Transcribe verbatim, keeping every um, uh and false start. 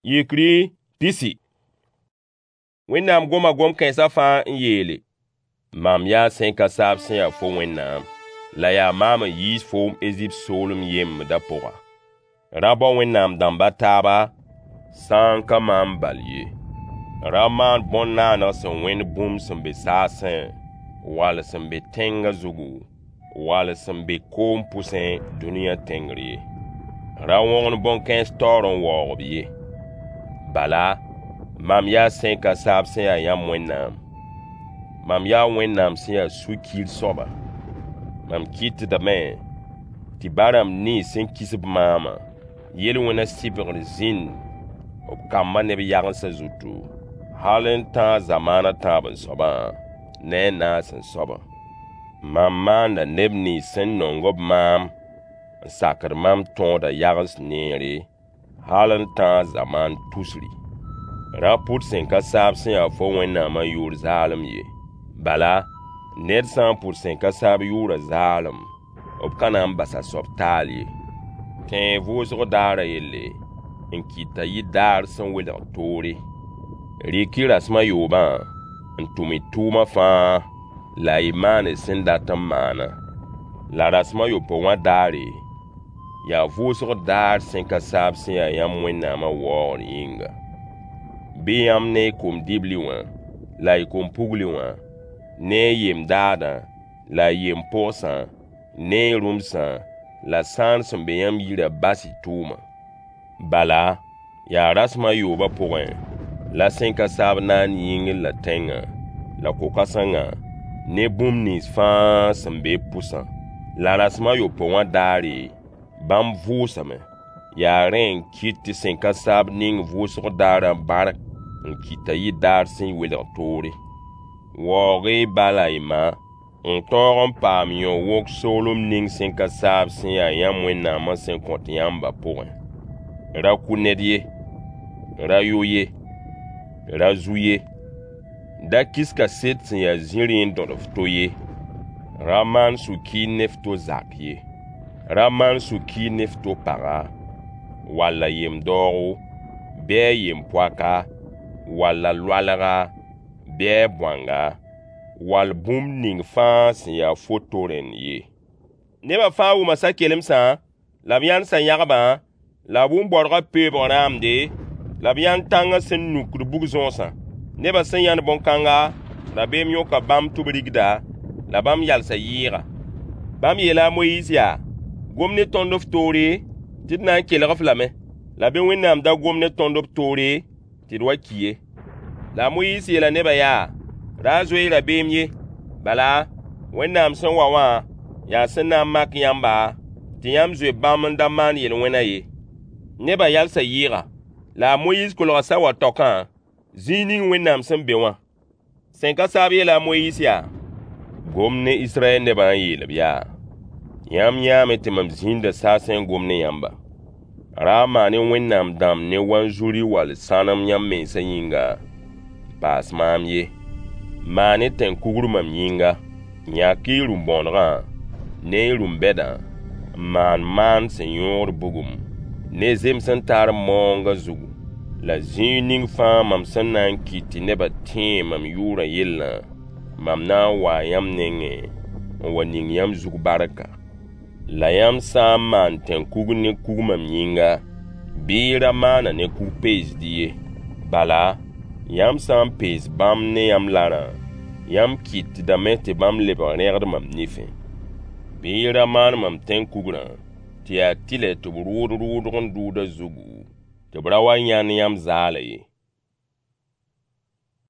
Yikri pisi. Wẽnnaam goma gom-kãensã fãa n yeele: Mam yaa sẽn ka saab sẽn ya fo Wẽnnaam, la yaa maam n yiis foom Ezipt soolem yembdã pʋga. Ra bao wẽnnaam dãmb a taaba, sã n ka maam bal ye. Ra maan bõn-naaneg sẽn wẽnd bũmb sẽn be saasẽ, wall sẽn be tẽngã zugu, wall sẽn be koom pʋsẽ dũniyã tẽngr ye. Ra wõgen bõn-kãens taoor n waoog-b ye. Bala, mam yaa sẽn ka saab sẽn ya yãmb Wẽnnaam. Mam yaa Wẽnnaam sẽn ya sũ-kiir soaba. Mam kɩtdame tɩ ba-rãmb nins sẽn kis-b maamã, yel-wẽnã sɩbgr zĩnd b kambã ne b yagensã zutu, hal n tãag zamaan a tãab-n-soabã ne a naas-n-soabã. Mam maanda neb nins sẽn nong-b maam n sakd mam tõodã yagens neere, hal n tãag zamaan tusri. Ra pʋd sẽn ka saab sẽn ya fo Wẽnnaamã yʋʋr zaalem ye. Bala, ned sã n pʋd sẽn ka saab yʋʋrã zaalem, b ka na n bas a soab taal ye. Tẽeg vʋʋsg daarã yelle n kɩt t'a yɩ daar sẽn welg toore. Rɩk-y rasem a yoobã n tʋm y tʋʋma fãa la y maan y sẽn dat n maana. La rasem a yopoe wã daare, yaa vʋʋsg daar sẽn ka saab sẽn ya yãmb Wẽnnaamã waoogr yĩnga. Bɩ yãmb ne y kom-dibli wã la y kom-pugli wã, ne y yem-daadã la y yem-pogsã, ne y rũmsã la sãan sẽn be yãmb yirã bas y tʋʋma. Bala, yaa rasem a yoobã pʋgẽ la sẽn ka saab naan yĩngr la tẽngã, la ko-kãsengã, ne bũmb nins fãa sẽn be b pʋsã. La rasem a yopoe wã daare, bãmb vʋʋsame. Yaa rẽ n kɩt tɩ sẽn ka saab ning vʋʋsg daarã bark n kɩt t'a yɩ daar sẽn welg toore. Waoog-y y ba la y ma n tõog n paam yõ-wok soolem ning sẽn ka saab sẽn ya yãmb Wẽnnaamã sẽn kõt yãmbã pʋgẽ. Ra kʋ ned ye, ra yo ye, ra zu ye, da kis kaset sẽn ya zĩrĩ n dõd f to ye, ra maan sũ-kiir ne f to zak ye. Ra maan sũ-kiir ne f to paga, wall a yem-daoogo, bɩ a yem-poaka, wall a loalga, bɩ a bõanga, wall bũmb ning fãa sẽn ya fo to rẽnd ye. Nebã fãa wʋma sa-kelemsã, la b yãnd sã-yãgbã, la b wʋm baorgã peoobg rãamde, la b yãnd tãngã sẽn nukd bug-zõosã. Nebã sẽn yãnd bõn-kãnga, rabeem yõka bãmb tɩ b rigda, la bãmb yalsa yɩɩga. Bãmb yeela a Moyiis yaa: Gom ne tõnd f toore, tɩ d na n kelg-f lame. La bɩ Wẽnnaam da gom ne tõnd b toore tɩ d wa ki ye. La a Moyiis yeela nebã yaa: Ra zoe-y rabeem ye. Bala, Wẽnnaam sẽn wa wã yaa sẽn na n mak yãmba tɩ yãmb zoe bãmb n da maan yel-wẽnã ye. Nebã yalsa yɩɩga. La a Moyiis kolga saoowã taokã, zĩig ning Wẽnnaam sẽn be wã. Sẽn ka saab yeela a Moyiis yaa: Gom ne Israyɛl nebã n yeel-b yaa: Yãmb yãame tɩ mam zĩnda saasẽ n gom ne yãmba. Ra maan-y wẽnnaam dãmb ne wanzuri wall sãnem yãmb mensã yĩnga n paas maam ye. Maan-y tẽn-kugr mam yĩnga. Yãk-y y rũm-bõonegã ne y rũm-bɛdã n maan maan sẽn yõogd bugum ne zems n tar maoongã zugu, la zĩig ning fãa mam sẽn na n kɩt tɩ nebã tẽe mam yʋʋrã yellã, mam na n waa yãmb nengẽ n wa ning yãmb zug barka. La yãmb sã n maan tẽn-kugr ne kug mam yĩnga, bɩ y ra maan-a ne kug-peesd ye. Bala, yãmb sã n pees bãmb ne yãmb larã, yãmb kɩtdame tɩ bãmb lebg rẽgd mam nifẽ. Bɩ y ra maan mam tẽn-kugrã tɩ yaa tɩlɛ tɩ b rʋʋd rʋʋdg n dʋʋd a zugu, tɩ b ra wa yãnd yãmb zaalã ye.